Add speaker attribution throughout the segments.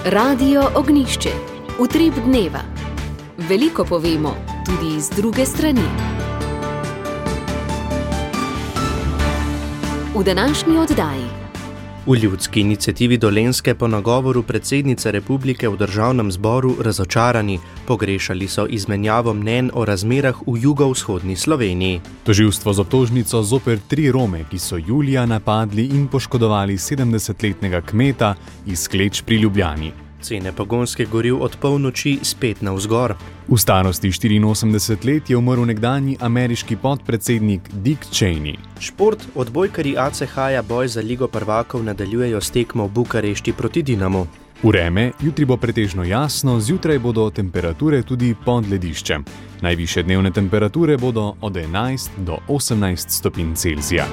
Speaker 1: Radio Ognjišče. Utrip dneva. Veliko povemo, tudi z druge strani. V današnji oddaji.
Speaker 2: V ljudski iniciativi Dolenjske po nagovoru predsednice republike v državnem zboru razočarani, pogrešali so izmenjavo mnenj o razmerah v jugovzhodni Sloveniji.
Speaker 3: Tožilstvo z obtožnico zoper 3 Rome, ki so julija napadli in poškodovali 70-letnega kmeta iz Kleč pri Ljubljani.
Speaker 2: Cene pogonskih goriv od polnoči spet navzgor.
Speaker 3: V starosti 84 let je umrl nekdanji ameriški podpredsednik Dick Cheney.
Speaker 2: Šport, odbojkarji ACH-ja boj za Ligo prvakov nadaljujejo s tekmo v Bukarešti proti Dinamu.
Speaker 3: Vreme, jutri bo pretežno jasno, zjutraj bodo temperature tudi pod lediščem. Najvišje dnevne temperature bodo od 11 do 18 stopinj Celzija.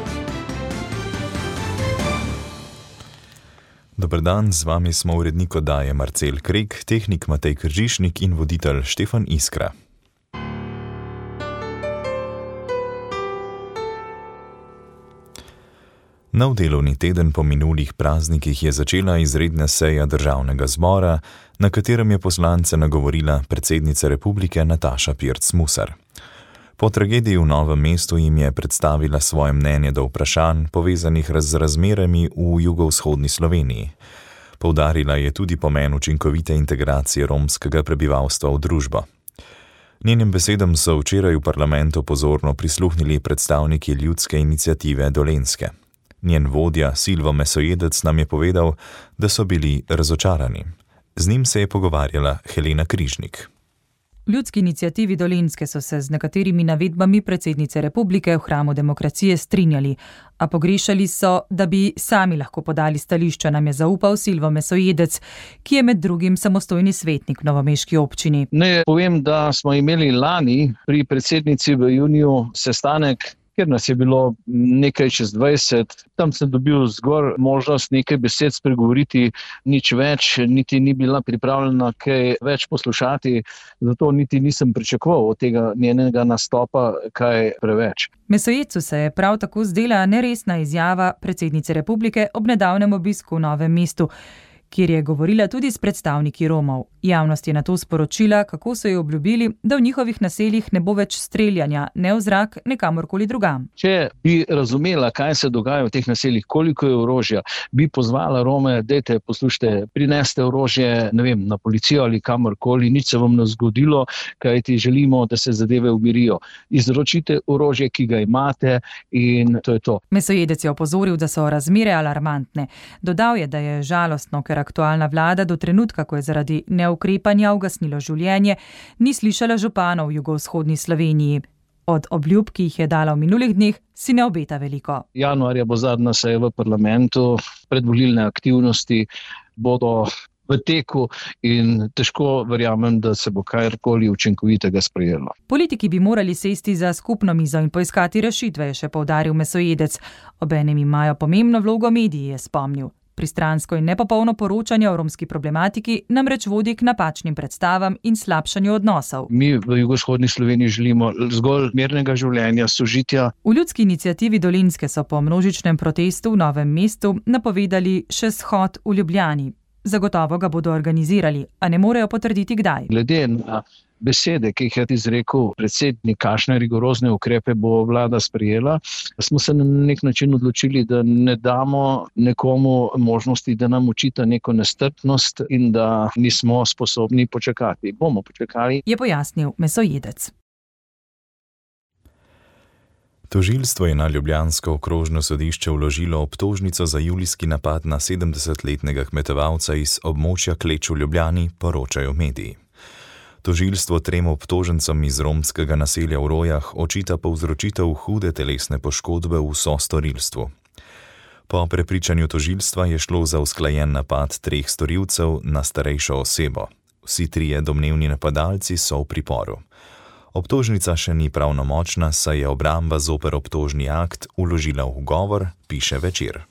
Speaker 4: Dober dan, z vami smo urednik oddaje Marcel Krek, tehnik Matej Kržišnik in voditelj Štefan Iskra. Nov delovni teden po minulih praznikih je začela izredna seja državnega zbora, na katerem je poslance nagovorila predsednica republike Nataša Pirc Musar. Po tragediji v Novem mestu jim je predstavila svoje mnenje do vprašanj, povezanih z razmerami v jugovzhodni Sloveniji. Poudarila je tudi pomen učinkovite integracije romskega prebivalstva v družbo. Njenim besedam so včeraj v parlamentu pozorno prisluhnili predstavniki ljudske iniciative Dolenjske. Njen vodja Silvo Mesojedec nam je povedal, da so bili razočarani. Z njim se je pogovarjala Helena Križnik.
Speaker 5: V ljudski iniciativi Dolenjske so se z nekaterimi navedbami predsednice republike v hramu demokracije strinjali, a pogrešali so, da bi sami lahko podali stališča, nam je zaupal Silvo Mesojedec, ki je med drugim samostojni svetnik v novomeški občini.
Speaker 6: Naj povem, da smo imeli lani pri predsednici v juniju sestanek, ker nas je bilo nekaj čez 20, tam sem dobil zgolj možnost nekaj besed spregovoriti, nič več, niti ni bila pripravljena kaj več poslušati, zato niti nisem pričakoval od tega njenega nastopa kaj preveč.
Speaker 5: Mesojedcu se je prav tako zdela neresna izjava predsednice republike ob nedavnem obisku v Novem mestu, kjer je govorila tudi s predstavniki Romov. Javnost je nato sporočila, kako so ji obljubili, da v njihovih naseljih ne bo več streljanja, ne v zrak, ne kamorkoli drugam.
Speaker 6: Če bi razumela, kaj se dogaja v teh naseljih, koliko je orožja, bi pozvala Rome, dajte, poslušajte, prineste orožje, ne vem, na policijo ali kamorkoli, nič se vam ne zgodilo, kajti želimo, da se zadeve umirijo. Izročite orožje, ki ga imate, in to je to.
Speaker 5: Mesojedec je opozoril, da so razmere alarmantne. Dodal je, da je žalostno, ker aktualna vlada do trenutka, ko je zaradi neukrepanja ugasnilo življenje, ni slišala županov v jugovzhodni Sloveniji. Od obljub, ki jih je dala v minulih dneh, si ne obeta veliko.
Speaker 6: Januarja bo zadnja seja v parlamentu, predvolilne aktivnosti bodo v teku in težko verjamem, da se bo karkoli učinkovitega sprejelo.
Speaker 5: Politiki bi morali sesti za skupno mizo in poiskati rešitve, je še poudaril Mesojedec. Obenem imajo pomembno vlogo mediji, je spomnil. Pristransko in nepopolno poročanje o romski problematiki namreč vodi k napačnim predstavam in slabšanju odnosov.
Speaker 6: Mi v jugovzhodni Sloveniji želimo zgolj mirnega življenja, sožitja.
Speaker 5: V ljudski iniciativi Dolenjske so po množičnem protestu v Novem mestu napovedali še shod v Ljubljani. Zagotovo ga bodo organizirali, a ne morejo potrditi kdaj.
Speaker 6: Glede na besede, ki jih je izrekel predsednik, kakšne rigorozne ukrepe bo vlada sprejela, smo se na nek način odločili, da ne damo nekomu možnosti, da nam očita neko nestrpnost in da nismo sposobni počakati. Bomo počakali,
Speaker 5: je pojasnil Mesojedec.
Speaker 4: Tožilstvo je na ljubljansko okrožno sodišče vložilo obtožnico za julijski napad na 70-letnega kmetovalca iz območja Kleč v Ljubljani, poročajo mediji. Tožilstvo 3 obtožencem iz romskega naselja v Rojah očita povzročitev hude telesne poškodbe v sostorilstvu. Po prepričanju tožilstva je šlo za usklajen napad 3 storilcev na starejšo osebo. Vsi 3 domnevni napadalci so v priporu. Obtožnica še ni pravnomočna, saj je obramba zoper obtožni akt vložila ugovor, piše Večer.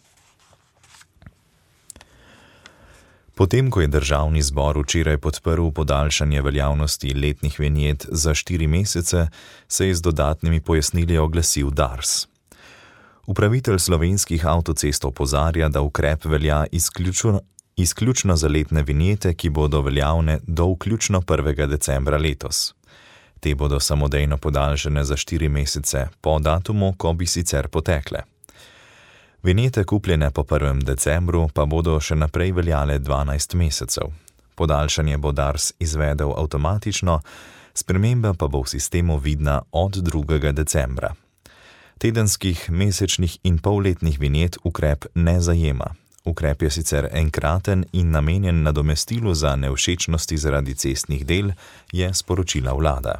Speaker 4: Potem, ko je državni zbor včeraj podprl podaljšanje veljavnosti letnih vinjet za 4 mesece, se je z dodatnimi pojasnili oglasil Dars. Upravitelj Slovenskih avtocest opozarja, da ukrep velja izključno za letne vinjete, ki bodo veljavne do vključno 1. decembra letos. Te bodo samodejno podaljšane za 4 mesece po datumu, ko bi sicer potekle. Vinjete kupljene po 1. decembru pa bodo še naprej veljale 12 mesecev. Podaljšanje bo Dars izvedel avtomatično, sprememba pa bo v sistemu vidna od 2. decembra. Tedenskih, mesečnih in polletnih vinjet ukrep ne zajema. Ukrep je sicer enkraten in namenjen nadomestilu za nevšečnosti zaradi cestnih del, je sporočila vlada.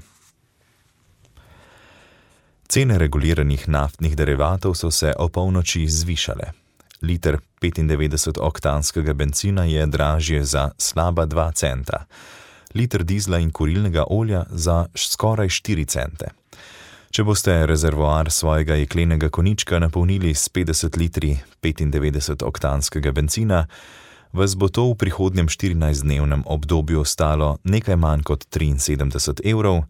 Speaker 4: Cene reguliranih naftnih derivatov so se opolnoči zvišale. Liter 95-oktanskega bencina je dražje za slaba 2 centa, liter dizla in kurilnega olja za skoraj 4 cente. Če boste rezervoar svojega jeklenega konjička napolnili s 50 litri 95-oktanskega bencina, vas bo to v prihodnjem 14-dnevnem obdobju stalo nekaj manj kot 73 evrov,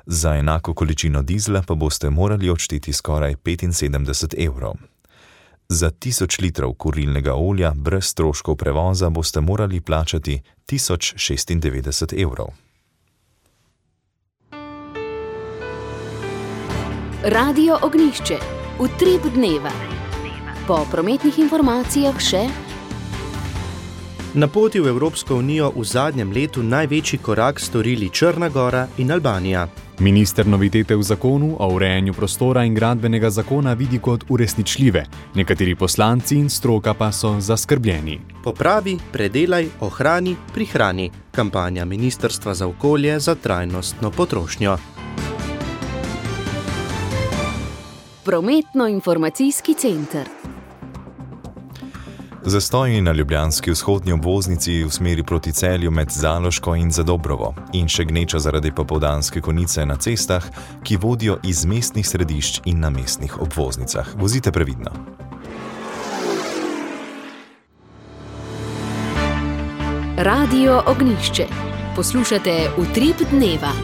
Speaker 4: za enako količino dizla pa boste morali odšteti skoraj 75 evrov. Za 1000 litrov kurilnega olja brez stroškov prevoza boste morali plačati 1096 evrov.
Speaker 1: Radio Ognjišče, utrip dneva. Po prometnih informacijah še:
Speaker 2: na poti v Evropsko unijo v zadnjem letu največji korak storili Črna Gora in Albanija.
Speaker 3: Minister novitete v zakonu o urejanju prostora in gradbenega zakona vidi kot uresničljive, nekateri poslanci in stroka pa so zaskrbljeni.
Speaker 2: Popravi, predelaj, ohrani, prihrani. Kampanja Ministrstva za okolje za trajnostno potrošnjo.
Speaker 1: Prometno-informacijski center.
Speaker 4: Zastoji na ljubljanski vzhodni obvoznici v smeri proti Celju med Zaloško in Zadobrovo in še gneča zaradi popoldanske konice na cestah, ki vodijo iz mestnih središč in na mestnih obvoznicah. Vozite previdno.
Speaker 1: Radio Ognjišče. Poslušate utrip dneva.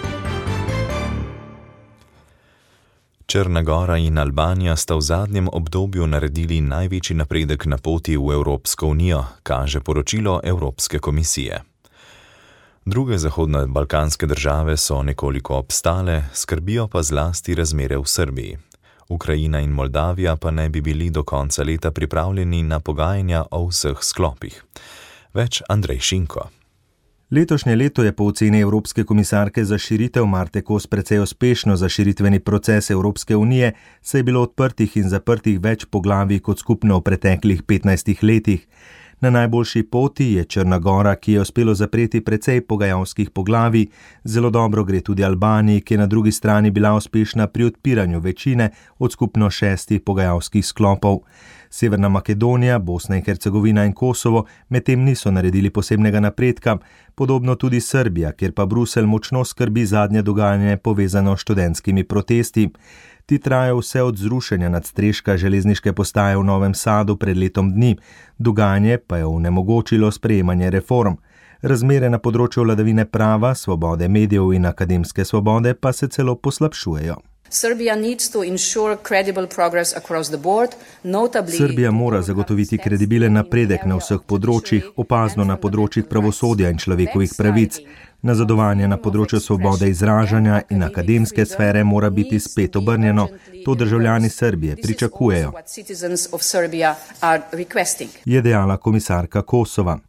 Speaker 4: Črna Gora in Albanija sta v zadnjem obdobju naredili največji napredek na poti v Evropsko unijo, kaže poročilo Evropske komisije. Druge zahodno-balkanske države so nekoliko obstale, skrbijo pa zlasti razmere v Srbiji. Ukrajina in Moldavija pa ne bi bili do konca leta pripravljeni na pogajanja o vseh sklopih. Več Andrej Šinko.
Speaker 7: Letošnje leto je po oceni Evropske komisarke za širitev Marte Kos precej uspešno za širitveni proces Evropske unije, saj je bilo odprtih in zaprtih več poglavij kot skupno v preteklih 15 letih. Na najboljši poti je Črna Gora, ki je uspelo zapreti precej pogajalskih poglavij, zelo dobro gre tudi Albaniji, ki je na drugi strani bila uspešna pri odpiranju večine od skupno 6 pogajalskih sklopov. Severna Makedonija, Bosna in Hercegovina in Kosovo medtem niso naredili posebnega napredka, podobno tudi Srbija, kjer pa Bruselj močno skrbi zadnje dogajanje povezano s študentskimi protesti. Ti trajajo vse od zrušenja nadstreška železniške postaje v Novem Sadu pred letom dni, dogajanje pa je onemogočilo sprejemanje reform. Razmere na področju vladavine prava, svobode medijev in akademske svobode pa se celo poslabšujejo. Srbija mora zagotoviti kredibilen napredek na vseh področjih, opazno na področjih pravosodja in človekovih pravic. Nazadovanje na področju svobode izražanja in akademske sfere mora biti spet obrnjeno. To državljani Srbije pričakujejo, je dejala komisarka Kosova.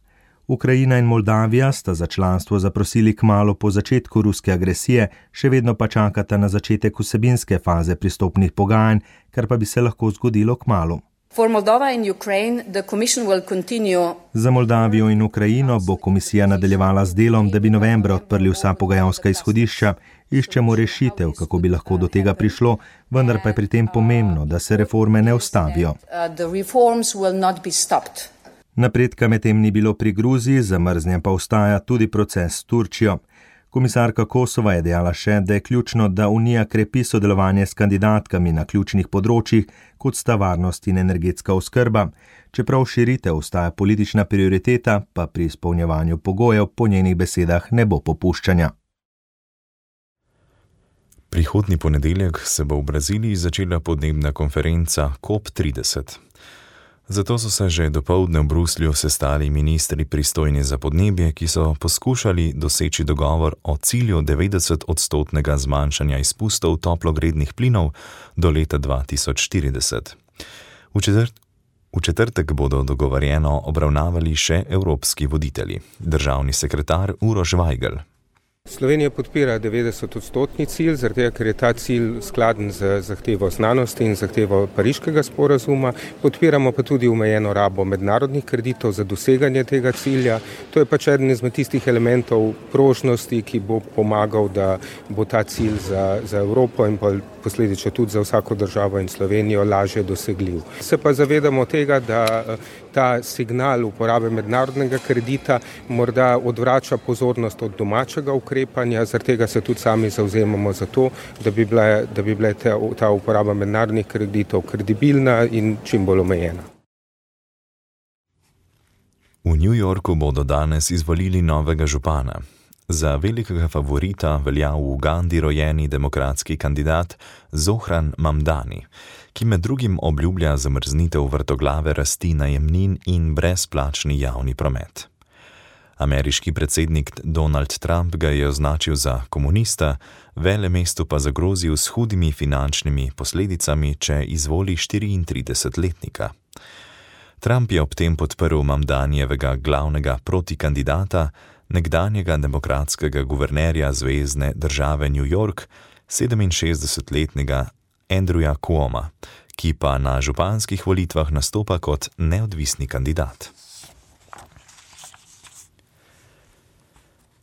Speaker 7: Ukrajina in Moldavija sta za članstvo zaprosili kmalu po začetku ruske agresije, še vedno pa čakata na začetek vsebinske faze pristopnih pogajanj, kar pa bi se lahko zgodilo kmalu. Za Moldavijo in Ukrajino bo komisija nadaljevala z delom, da bi novembra odprli vsa pogajalska izhodišča. Iščemo rešitev, kako bi lahko do tega prišlo, vendar pa je pri tem pomembno, da se reforme ne ustavijo. Napredka medtem ni bilo pri Gruziji, zamrznjen pa ostaja tudi proces s Turčijo. Komisarka Kosova je dejala še, da je ključno, da Unija krepi sodelovanje s kandidatkami na ključnih področjih, kot sta varnost in energetska oskrba. Čeprav širitev ostaja politična prioriteta, pa pri izpolnjevanju pogojev po njenih besedah ne bo popuščanja.
Speaker 4: Prihodnji ponedeljek se bo v Braziliji začela podnebna konferenca COP30. Zato so se že dopoldne v Bruslju sestali ministri pristojni za podnebje, ki so poskušali doseči dogovor o cilju 90% zmanjšanja izpustov toplogrednih plinov do leta 2040. V četrtek bodo dogovorjeno obravnavali še evropski voditelji. Državni sekretar Uroš Vajgl.
Speaker 8: Slovenija podpira 90% cilj, zaradi tega, ker je ta cilj skladen z zahtevo znanosti in zahtevo Pariškega sporazuma. Podpiramo pa tudi omejeno rabo mednarodnih kreditov za doseganje tega cilja. To je pač eden izmed tistih elementov prožnosti, ki bo pomagal, da bo ta cilj za Evropo in posledično tudi za vsako državo in Slovenijo lažje dosegljiv. Se pa zavedamo tega, da ta signal uporabe mednarodnega kredita morda odvrača pozornost od domačega ukrepanja, zaradi tega se tudi sami zavzemamo za to, da bi bila ta uporaba mednarodnih kreditov kredibilna in čim bolj omejena.
Speaker 4: V New Yorku bodo danes izvolili novega župana. Za velikega favorita velja v Ugandi rojeni demokratski kandidat Zohran Mamdani, ki med drugim obljublja zamrznitev vrtoglave rasti najemnin in brezplačni javni promet. Ameriški predsednik Donald Trump ga je označil za komunista, velemestu pa zagrozil s hudimi finančnimi posledicami, če izvoli 34-letnika. Trump je ob tem podprl Mamdanijevega glavnega protikandidata, nekdanjega demokratskega guvernerja zvezne države New York, 67-letnega Andrewa Cuoma, ki pa na županskih volitvah nastopa kot neodvisni kandidat.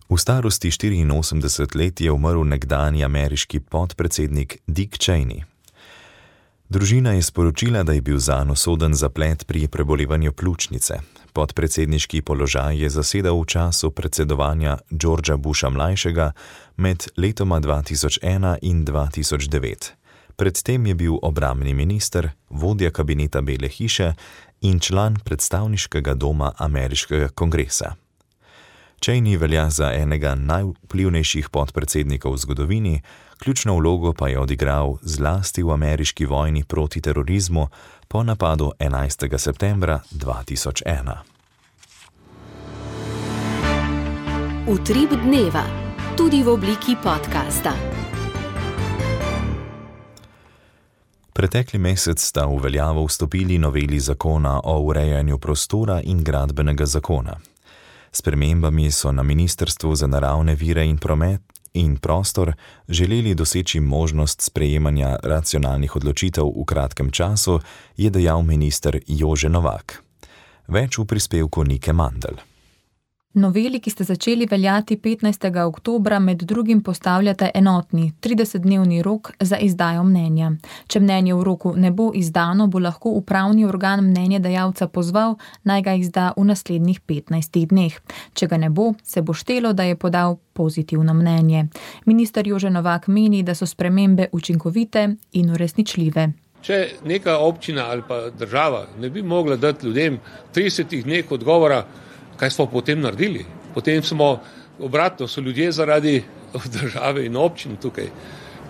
Speaker 4: V starosti 84 let je umrl nekdanji ameriški podpredsednik Dick Cheney. Družina je sporočila, da je bil zanj usoden zaplet pri prebolevanju pljučnice. Podpredsedniški položaj je zasedal v času predsedovanja Georgea Busha mlajšega med letoma 2001 in 2009. Predtem je bil obrambni minister, vodja kabineta Bele hiše in član predstavniškega doma ameriškega kongresa. Cheney velja za enega najvplivnejših podpredsednikov v zgodovini, ključno vlogo pa je odigral zlasti v ameriški vojni proti terorizmu po napadu 11. septembra 2001.
Speaker 1: Utrip dneva, tudi v obliki podcasta.
Speaker 4: Pretekli mesec sta v veljavo vstopili noveli zakona o urejanju prostora in gradbenega zakona. Spremembami so na Ministrstvu za naravne vire in promet in prostor želeli doseči možnost sprejemanja racionalnih odločitev v kratkem času, je dejal minister Jože Novak. Več v prispevku Nike Mandl.
Speaker 9: Noveli, ki ste začeli veljati 15. oktobra, med drugim postavljate enotni 30-dnevni rok za izdajo mnenja. Če mnenje v roku ne bo izdano, bo lahko upravni organ mnenjedajalca pozval, naj ga izda v naslednjih 15 dneh. Če ga ne bo, se bo štelo, da je podal pozitivno mnenje. Minister Jože Novak meni, da so spremembe učinkovite in uresničljive.
Speaker 10: Če neka občina ali pa država ne bi mogla dati ljudem 30 dneh odgovora, kaj smo potem naredili? Potem smo obratno, so ljudje zaradi države in občin tukaj.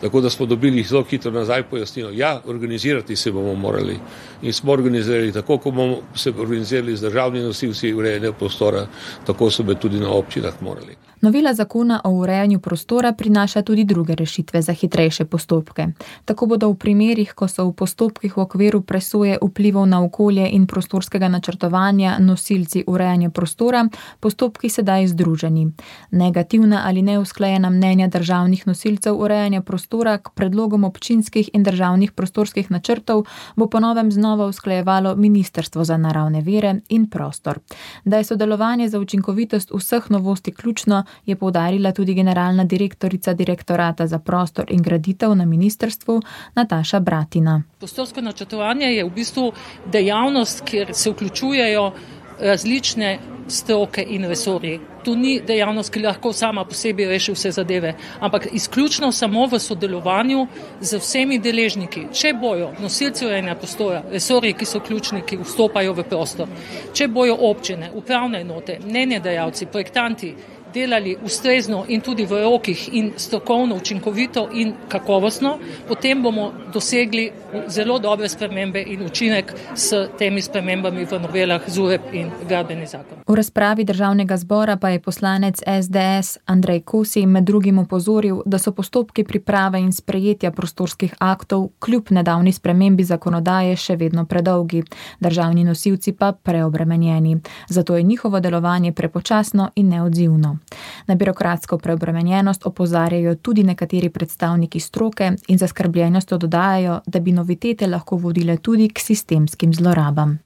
Speaker 10: Tako da smo dobili zelo hitro nazaj pojasnilo. Ja, organizirati se bomo morali. In smo organizirali tako, kot bomo se organizirali z državnimi nosilci urejanja prostora, tako so bi tudi na občinah morali.
Speaker 9: Novela zakona o urejanju prostora prinaša tudi druge rešitve za hitrejše postopke. Tako bodo v primerih, ko so v postopkih v okviru presoje vplivov na okolje in prostorskega načrtovanja nosilci urejanja prostora, postopki sedaj združeni. Negativna ali neusklajena mnenja državnih nosilcev urejanja prostora k predlogom občinskih in državnih prostorskih načrtov bo po novem znova usklajevalo Ministrstvo za naravne vire in prostor. Da je sodelovanje za učinkovitost vseh novosti ključno, je poudarila tudi generalna direktorica Direktorata za prostor in graditev na ministrstvu Nataša Bratina.
Speaker 11: Prostorsko načrtovanje je v bistvu dejavnost, kjer se vključujejo različne stroke in resorji. To ni dejavnost, ki lahko sama po sebi reši vse zadeve, ampak izključno samo v sodelovanju z vsemi deležniki. Če bojo nosilci urejanja prostora, resorji, ki so ključni, ki vstopajo v prostor, če bojo občine, upravne enote, mnenjedajalci, projektanti delali ustrezno in tudi v rokih in strokovno, učinkovito in kakovostno, potem bomo dosegli zelo dobre spremembe in učinek s temi spremembami v novelah ZUREP in gradbeni zakon.
Speaker 9: V razpravi Državnega zbora pa je poslanec SDS Andrej Kosi med drugim opozoril, da so postopki priprave in sprejetja prostorskih aktov kljub nedavni spremembi zakonodaje še vedno predolgi, državni nosilci pa preobremenjeni. Zato je njihovo delovanje prepočasno in neodzivno. Na birokratsko preobremenjenost opozarjajo tudi nekateri predstavniki stroke in zaskrbljenostjo dodajajo, da bi novitete lahko vodile tudi k sistemskim zlorabam.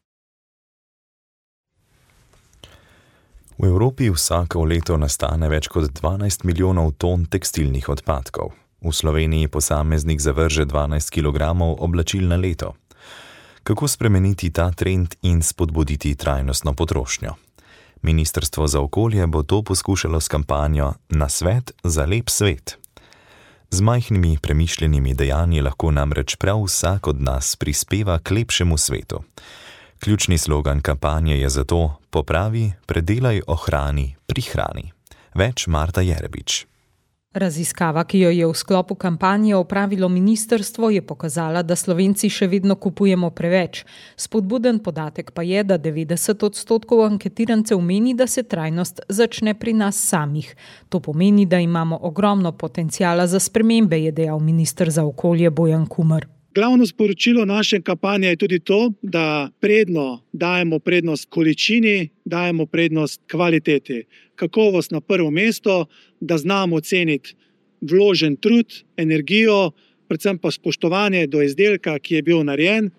Speaker 4: V Evropi vsako leto nastane več kot 12 milijonov ton tekstilnih odpadkov. V Sloveniji posameznik zavrže 12 kilogramov oblačil na leto. Kako spremeniti ta trend in spodbuditi trajnostno potrošnjo? Ministrstvo za okolje bo to poskušalo s kampanjo Nasvet za lep svet. Z majhnimi premišljenimi dejanji lahko namreč prav vsak od nas prispeva k lepšemu svetu. Ključni slogan kampanje je zato Popravi, predelaj, ohrani, prihrani. Več Marta Jerebič.
Speaker 12: Raziskava, ki jo je v sklopu kampanje opravilo ministrstvo, je pokazala, da Slovenci še vedno kupujemo preveč. Spodbuden podatek pa je, da 90% anketirancev meni, da se trajnost začne pri nas samih. To pomeni, da imamo ogromno potencijala za spremembe, je dejal minister za okolje Bojan Kumer.
Speaker 13: Glavno sporočilo naše kampanje je tudi to, da dajemo prednost količini, dajemo prednost kvaliteti. Kakovost na prvo mesto, da znamo oceniti vložen trud, energijo, predvsem pa spoštovanje do izdelka, ki je bil narejen,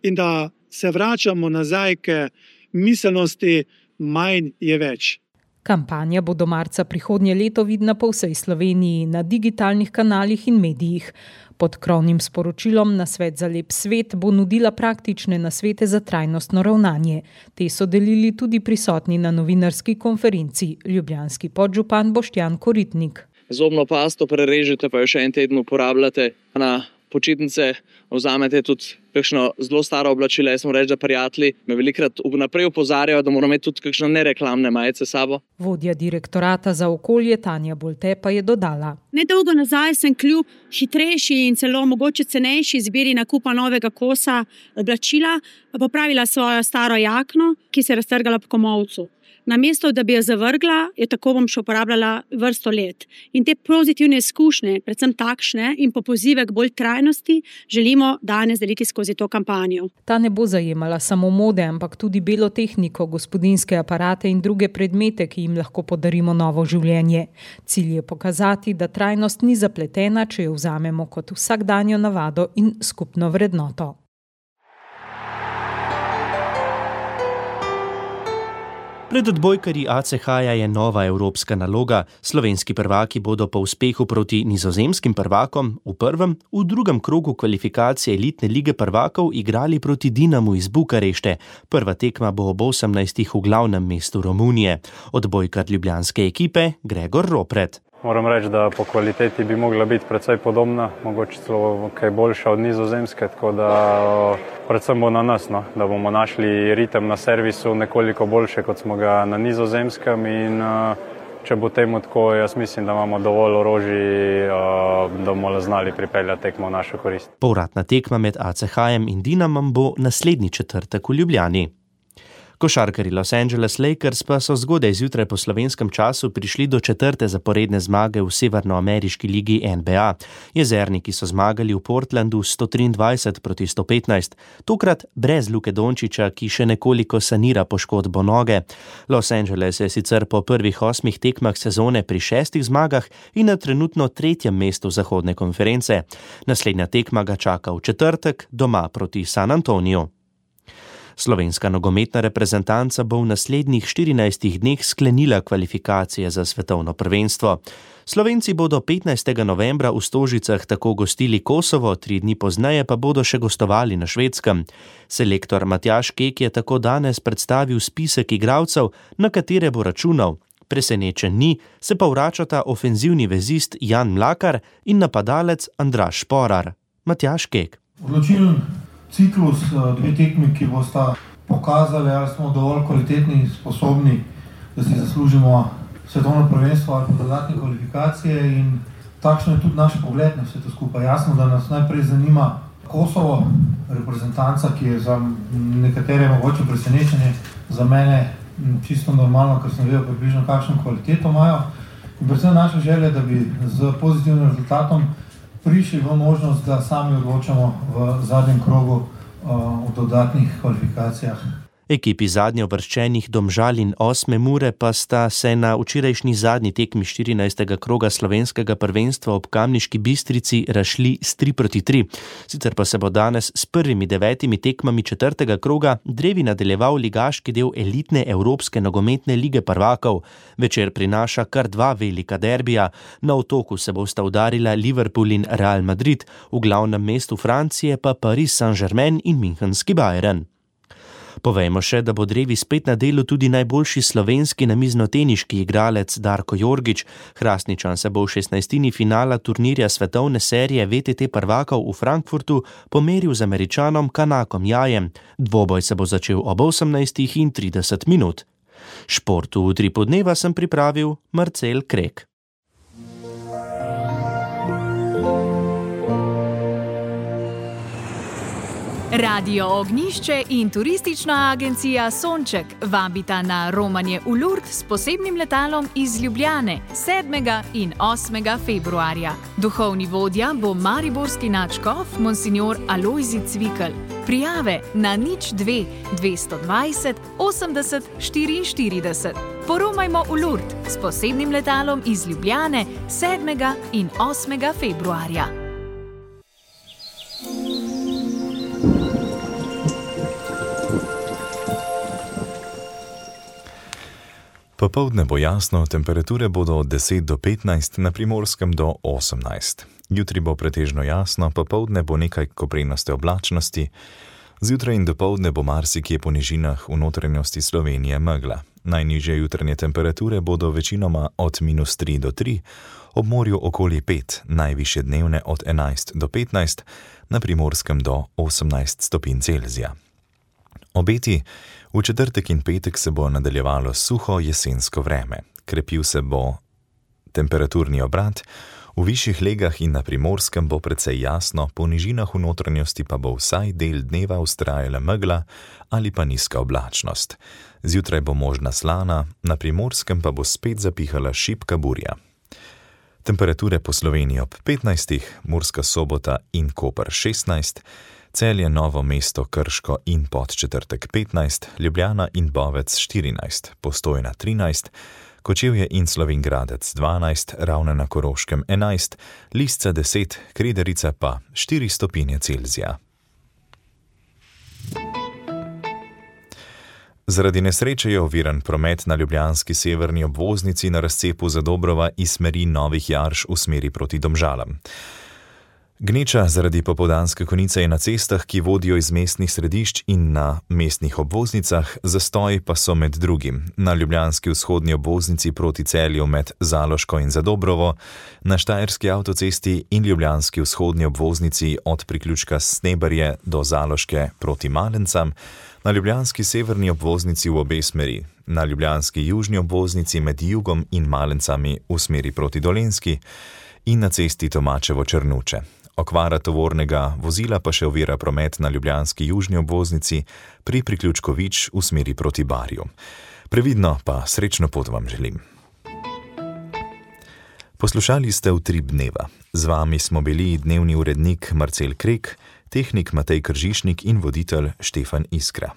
Speaker 13: in da se vračamo nazaj k miselnosti manj je več.
Speaker 12: Kampanja bo do marca prihodnje leto vidna po vsej Sloveniji na digitalnih kanalih in medijih. Pod krovnim sporočilom Nasvet za lep svet bo nudila praktične nasvete za trajnostno ravnanje. Te so delili tudi prisotni na novinarski konferenci ljubljanski podžupan Boštjan Koritnik.
Speaker 14: Zobno pasto prerežete, pa jo še en teden uporabljate. Na počitnice vzamete tudi kakšno zelo staro oblačilo. Jaz sem reči, da prijatelji me velikrat vnaprej opozarjajo, da moramo imeti tudi kakšne nereklamne majice s sabo.
Speaker 12: Vodja direktorata za okolje Tanja Bolte pa je dodala.
Speaker 15: Nedolgo nazaj sem kljub hitrejši in celo mogoče cenejši izbiri nakupa novega kosa oblačila popravila svojo staro jakno, ki se je raztrgala po komolcu. Namesto, da bi jo zavrgla, jo tako bom še uporabljala vrsto let. In te pozitivne izkušnje, predvsem takšne in po pozive k bolj trajnosti, želimo danes deliti skozi to kampanjo.
Speaker 12: Ta ne bo zajemala samo mode, ampak tudi belo tehniko, gospodinjske aparate in druge predmete, ki jim lahko podarimo novo življenje. Cilj je pokazati, da trajnost ni zapletena, če jo vzamemo kot vsakdanjo navado in skupno vrednoto.
Speaker 2: Pred odbojkarji ACH-ja je nova evropska naloga. Slovenski prvaki bodo po uspehu proti nizozemskim prvakom v prvem, v drugem krogu kvalifikacije elitne lige prvakov igrali proti Dinamu iz Bukarešte. Prva tekma bo ob 18. v glavnem mestu Romunije. Odbojkar ljubljanske ekipe Gregor Ropret.
Speaker 16: Moram reči, da po kvaliteti bi mogla biti precej podobna, mogoče celo kaj boljša od nizozemske, tako da predvsem bo na nas, da bomo našli ritem na servisu nekoliko boljše, kot smo ga na nizozemskem in če bo temu tako, jaz mislim, da imamo dovolj orožij, da bomo znali pripeljati tekmo v našo korist.
Speaker 2: Povratna tekma med ACH-jem in Dinamom bo naslednji četrtek v Ljubljani. Košarkarji Los Angeles Lakers pa so zgodaj zjutraj po slovenskem času prišli do četrte zaporedne zmage v severnoameriški ligi NBA. Jezerniki so zmagali v Portlandu 123 proti 115, tokrat brez Luke Dončića, ki še nekoliko sanira poškodbo noge. Los Angeles je sicer po prvih 8 tekmah sezone pri 6 zmagah in na trenutno 3. mestu zahodne konference. Naslednja tekma ga čaka v četrtek doma proti San Antoniju. Slovenska nogometna reprezentanca bo v naslednjih 14 dneh sklenila kvalifikacije za svetovno prvenstvo. Slovenci bodo 15. novembra v Stožicah tako gostili Kosovo, 3 dni pozneje pa bodo še gostovali na Švedskem. Selektor Matjaž Kek je tako danes predstavil spisek igralcev, na katere bo računal. Presenečen ni, se pa vračata ofenzivni vezist Jan Mlakar in napadalec Andraž Šporar. Matjaž Kek.
Speaker 17: Odločilen ciklus, 2 tekmi, ki bosta pokazali, ali smo dovolj kvalitetni in sposobni, da si zaslužimo svetovno prvenstvo ali pa dodatne kvalifikacije in takšno je tudi naš pogled na vse to skupaj. Jasno, da nas najprej zanima Kosovo, reprezentanca, ki je za nekatere mogoče presenečenje, za mene čisto normalno, ker sem vedel približno kakšno kvaliteto imajo. In predvsem naša želja, da bi z pozitivnim rezultatom prišli v možnost, da sami odločamo v zadnjem krogu v dodatnih kvalifikacijah.
Speaker 2: Ekipi zadnje uvrščenih Domžal in 8 Mure pa sta se na včerajšnji zadnji tekmi 14. kroga slovenskega prvenstva ob Kamniški Bistrici razšli s 3-3. Sicer pa se bo danes s prvimi 9 tekmami 4. kroga drevi nadaljeval ligaški del elitne Evropske nogometne lige prvakov. Večer prinaša kar 2 velika derbija. Na Otoku se bosta udarila Liverpool in Real Madrid, v glavnem mestu Francije pa Paris Saint-Germain in Münchenski Bayern. Povejmo še, da bo drevi spet na delu tudi najboljši slovenski namiznoteniški igralec Darko Jorgič. Hrastničan se bo v 16. finala turnirja svetovne serije VTT prvakov v Frankfurtu pomeril z Američanom Kanakom Jajem. Dvoboj se bo začel ob 18:30. Šport v Utripu dneva sem pripravil Marcel Krek.
Speaker 18: Radio Ognjišče in turistična agencija Sonček vabita na romanje v Lourdes s posebnim letalom iz Ljubljane 7. in 8. februarja. Duhovni vodja bo mariborski nadškof Monsignor Alojzij Cvikl. Prijave na 02 220 80 44. Poromajmo v Lourdes s posebnim letalom iz Ljubljane 7. in 8. februarja.
Speaker 4: Popoldne bo jasno, temperature bodo od 10 do 15, na Primorskem do 18. Jutri bo pretežno jasno, popoldne bo nekaj koprenaste oblačnosti. Zjutraj in dopoldne bo marsikje po nižinah v notranjosti Slovenije megla. Najnižje jutranje temperature bodo večinoma od -3 do 3, ob morju okoli 5, najvišje dnevne od 11 do 15, na Primorskem do 18 stopinj Celzija. Obeti: v četrtek in petek se bo nadaljevalo suho jesensko vreme. Krepil se bo temperaturni obrat, v višjih legah in na Primorskem bo precej jasno, po nižinah v notranjosti pa bo vsaj del dneva vztrajala megla ali pa nizka oblačnost. Zjutraj bo možna slana, na Primorskem pa bo spet zapihala šibka burja. Temperature po Sloveniji ob 15, Murska Sobota in Koper 16, Celje, Novo mesto, Krško in Podčetrtek 15, Ljubljana in Bovec 14, Postojna 13, Kočevje in Slovenjgradec 12, Ravne na Koroškem 11, Lisca 10, Krederica pa 4 stopinje Celzija. Zaradi nesreče je oviran promet na ljubljanski severni obvoznici na razcepu Zadobrova iz smeri Novih Jarš v smeri proti Domžalam. Gneča zaradi popoldanske konice je na cestah, ki vodijo iz mestnih središč in na mestnih obvoznicah, zastoj pa so med drugim na ljubljanski vzhodni obvoznici proti Celju med Zaloško in Zadobrovo, na Štajerski avtocesti in ljubljanski vzhodni obvoznici od priključka Sneberje do Zaloške proti Malencam, na ljubljanski severni obvoznici v obe smeri, na ljubljanski južni obvoznici med Jugom in Malencami v smeri proti Dolenjski in na cesti Tomačevo-Črnuče. Okvara tovornega vozila pa še ovira promet na ljubljanski južni obvoznici pri priključku Vič v smeri proti Barju. Previdno pa srečno pot vam želim. Poslušali ste Utrip dneva. Z vami smo bili dnevni urednik Marcel Krek, tehnik Matej Kržišnik in voditelj Štefan Iskra.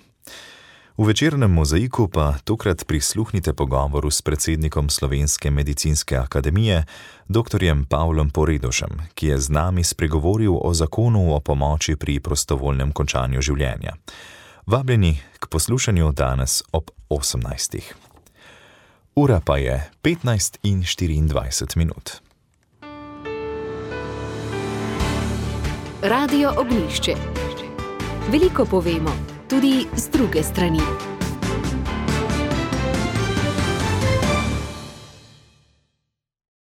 Speaker 4: V večernem mozaiku pa tokrat prisluhnite pogovoru s predsednikom Slovenske medicinske akademije, dr. Pavlom Poredošem, ki je z nami spregovoril o zakonu o pomoči pri prostovoljnem končanju življenja. Vabljeni k poslušanju danes ob 18. Ura pa je 15:24.
Speaker 1: Radio Ognjišče. Veliko povemo, tudi z druge strani.